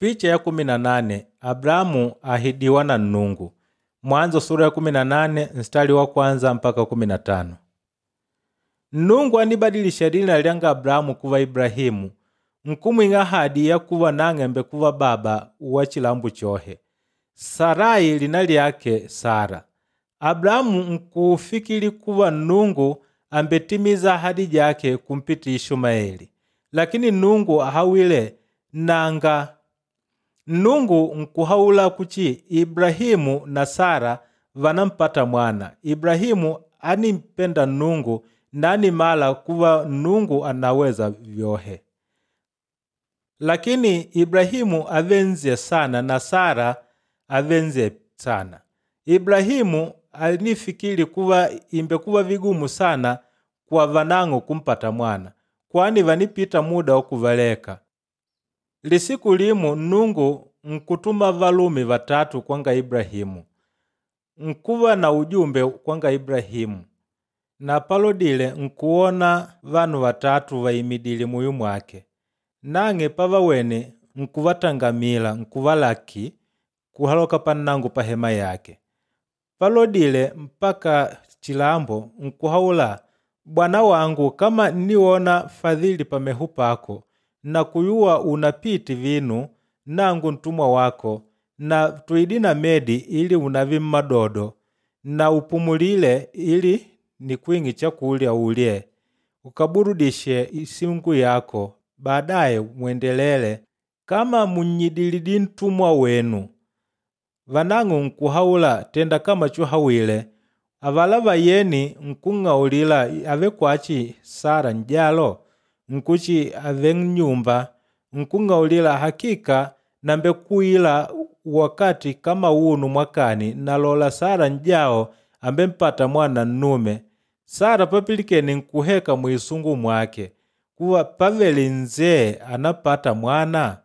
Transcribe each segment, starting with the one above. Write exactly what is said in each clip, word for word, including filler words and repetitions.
Picha ya kumi na nane Abrahamu ahidiwa na Nnungu. Mwanzo sura ya kumi na nane mstari wa kwanza mpaka kumi na tano. Nnungu anibadilisha lina lyanga Abrahamu kuva Ibrahimu, nkumwing'a ahadi ya kuva nang'embe kuva baba wa chilambo chohe. Sarai lina lyake Sara. Abrahamu nkufikili kuva Nnungu ambetimiza ahadi jake kumpita Ishumaeli. Lakini Nnungu ahawile nanga. Nnungu nkuhaula kuchi Ibrahimu na Sara vanampata mwana. Ibrahimu animpenda Nnungu nani mala kuva Nnungu anaweza vyohe. Lakini Ibrahimu avenzie sana na Sara avenzie sana. Ibrahimu alinifikiri kuva imbekuva vigumu sana kwa vanang'o kumpata mwana, kwani vanipita muda wa kuvaleka. Lisiku limu Nnungu nkutuma valume vatatu kwanga Ibrahimu. Nkuva na ujumbe kwanga Ibrahimu. Na palodile nkuona vanu vatatu vaimidile muyu mwake. Nang'e pavawene nkuvatangamila nkuvalaki kuhaloka pannango pa hema yake. Palodile mpaka chilambo nkuhaula, Bwana wangu kama nniwona fadhili pameho pako na kuyuwa unapiti vinu nangu ntumwa wako na tuidi na medi ili unavi mmadodo na upumulile ili nikwing'i chakulya ulye ukaburudishe isingu yako baadaye mwendelele kama munyidilidi ntumwa wenu. Vanang'o nkuhaula tenda kama chuhawile. Avala vayeni nkung'aulila ave kwachi Sara njalo nkuchi ave nyumba nkung'aulila hakika nambe kuila wakati kama unu mwakani nalola Sara njao ambe mpata mwana nnume. Sara papilikene nkuheka mwisungu mwake kuva pavele nzee anapata mwana.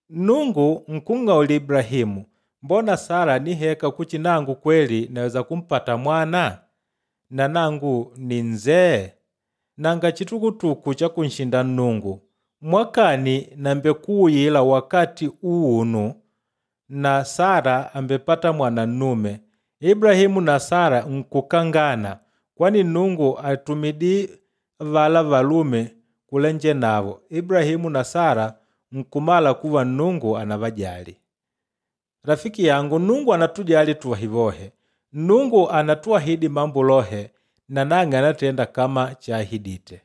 Nungu nkung'auli Ibrahimu, mbona Sara niheka kuchi nangu kweli naweza kumpata mwana? Na nangu ni nzee? Nanga chitukutuku cha kunshinda Nnungu. Mwakani nambe kuuyila wakati uunu na Sara ambepata mwana nnume. Ibrahimu na Sara nkukangana kwani Nnungu atumidi vala valume kulenje navo. Ibrahimu na Sara nkumala kuva Nnungu anavajali. Rafiki yangu, Nnungu anatujali tuwahivohe. Nnungu anatuahidi mambo lohe na nang'e anatenda kama chaahidite.